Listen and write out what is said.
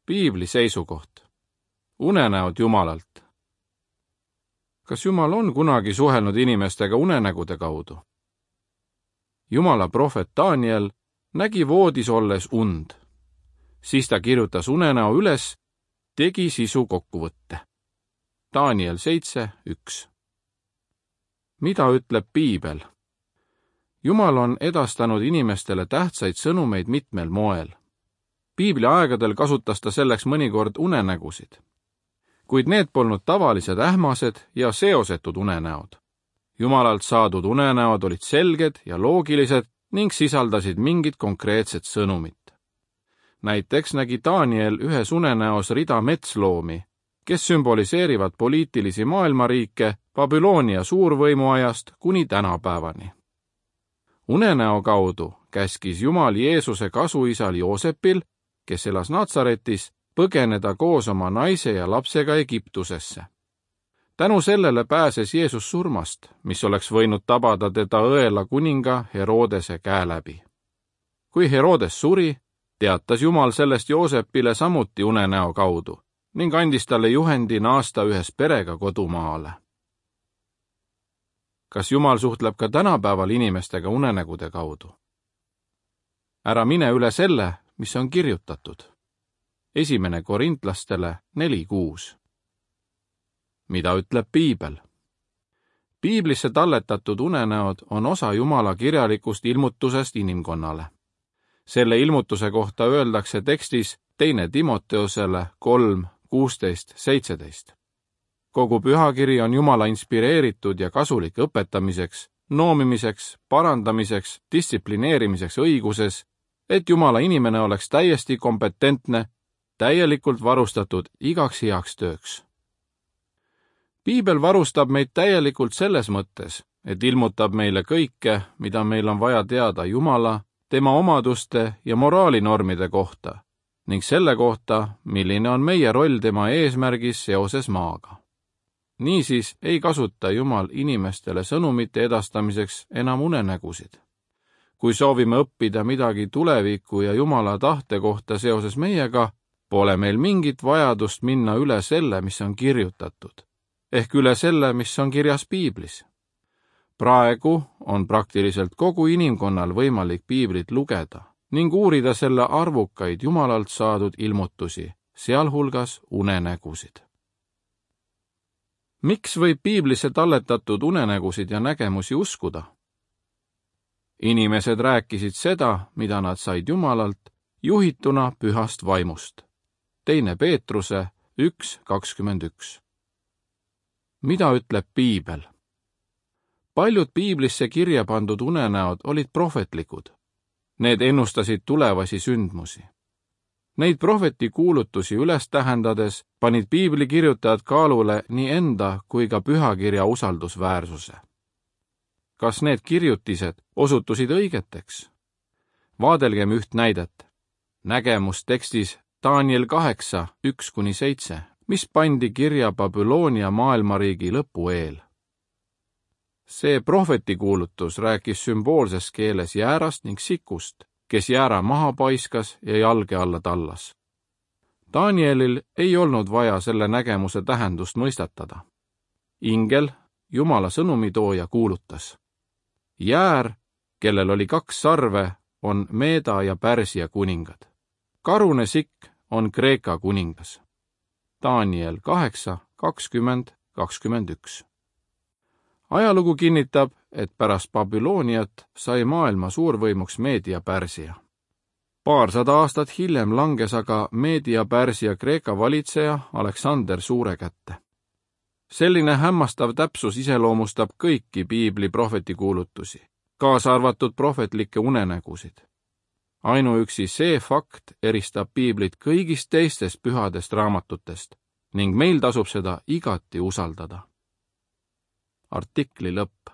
Piibli seisukoht. Unenäod Jumalalt. Kas Jumal on kunagi suhelnud inimestega unenägude kaudu? Jumala prohvet Daniel nägi voodis olles und. Siis ta kirjutas unenäo üles, tegi sisu kokkuvõtte. Daniel 7:1. Mida ütleb Piibel? Jumal on edastanud inimestele tähtsaid sõnumeid mitmel moel. Piibli aegadel kasutas ta selleks mõnikord unenägusid. Kuid need polnud tavalised ähmased ja seosetud unenäod. Jumalalt saadud unenäod olid selged ja loogilised ning sisaldasid mingit konkreetset sõnumit. Näiteks nägi Daniel ühes unenäos rida metsloomi, kes sümboliseerivad poliitilisi maailmariike Babyloonia suurvõimu ajast kuni tänapäevani. Unenäo kaudu käskis Jumal Jeesuse kasuisal Joosepil, kes elas Natsaretis, põgeneda koos oma naise ja lapsega Egiptusesse. Tänu sellele pääses Jeesus surmast, mis oleks võinud tabada teda õela kuninga Herodese käe läbi. Kui Herodes suri, teatas Jumal sellest Joosepile samuti unenäo kaudu ning andis talle juhendi naasta ühes perega kodumaale. Kas Jumal suhtleb ka tänapäeval inimestega unenägude kaudu? Ära mine üle selle, mis on kirjutatud. 1. Korintlastele 4:6. Mida ütleb Piibel? Piiblisse talletatud unenäod on osa Jumala kirjalikust ilmutusest inimkonnale. Selle ilmutuse kohta öeldakse tekstis 2. Timoteosele 3:16-17. Kogu pühakiri on Jumala inspireeritud ja kasulik õpetamiseks, noomimiseks, parandamiseks, distsiplineerimiseks õiguses, et Jumala inimene oleks täiesti kompetentne, täielikult varustatud igaks heaks tööks. Piibel varustab meid täielikult selles mõttes, et ilmutab meile kõike, mida meil on vaja teada Jumala, tema omaduste ja moraalinormide kohta ning selle kohta, milline on meie roll tema eesmärgis seoses maaga. Niisiis ei kasuta Jumal inimestele sõnumite edastamiseks enam unenägusid. Kui soovime õppida midagi tuleviku ja Jumala tahte kohta seoses meiega, pole meil mingit vajadust minna üle selle, mis on kirjutatud, ehk üle selle, mis on kirjas Piiblis. Praegu on praktiliselt kogu inimkonnal võimalik Piiblit lugeda ning uurida selle arvukaid Jumalalt saadud ilmutusi, sealhulgas unenägusid. Miks võib Piiblisse talletatud unenägusid ja nägemusi uskuda? Inimesed rääkisid seda, mida nad said Jumalalt, juhituna pühast vaimust. 2. Peetruse 1:21. Mida ütleb Piibel? Paljud Piiblisse kirja pandud unenäod olid prohvetlikud. Need ennustasid tulevasi sündmusi. Neid prohveti kuulutusi üles tähendades panid Piibli kirjutajad kaalule nii enda kui ka pühakirja usaldusväärsuse. Kas need kirjutised osutusid õigeteks? Vaadelgem üht näidet. Nägemus tekstis Daniel 8:1-7, mis pandi kirja Babyloonia maailmariigi lõpu eel. See prohvetikuulutus rääkis sümboolses keeles jäärast ning sikust, kes jäära maha paiskas ja jalge alla tallas. Danielil ei olnud vaja selle nägemuse tähendust mõistatada. Ingel, Jumala sõnumitooja, kuulutas: Jäär, kellel oli 2 sarve, on Meeda ja Pärsia kuningad. Karune sikk on Kreeka kuningas. Daniel 8:20-21. Ajalugu kinnitab, et pärast Babyloniat sai maailma suurvõimuks Meedia-Pärsia. Paarsada aastat hiljem langes aga Meedia-Pärsia Kreeka valitseja Aleksander Suure kätte. Selline hämmastav täpsus iseloomustab kõiki Piibli prohvetikuulutusi, kaasa arvatud prohvetlikke unenägusid. Ainuüksi see fakt eristab Piiblit kõigist teistest pühadest raamatutest ning meil tasub seda igati usaldada. Artikli lõpp.